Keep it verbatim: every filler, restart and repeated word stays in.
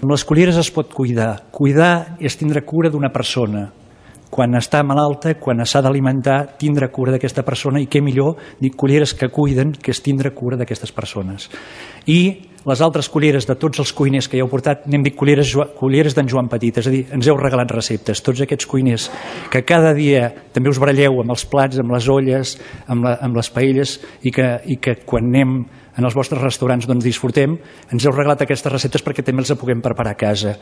Amb les culleres es pot cuidar. Cuidar és tindre cura d'una persona. Quan està malalta, quan s'ha d'alimentar, tindre cura d'aquesta persona, i què millor, dic, culleres que cuiden, que és tindre cura d'aquestes persones. I les altres culleres de tots els cuiners que hi heu portat, n'hem dit culleres, culleres d'en Joan Petit, és a dir, ens heu regalat receptes, tots aquests cuiners que cada dia també us baralleu amb els plats, amb les olles, amb, la, amb les paelles, i que, i que quan anem en els vostres restaurants doncs disfrutem, ens heu regalat aquestes receptes perquè també els puguem preparar a casa.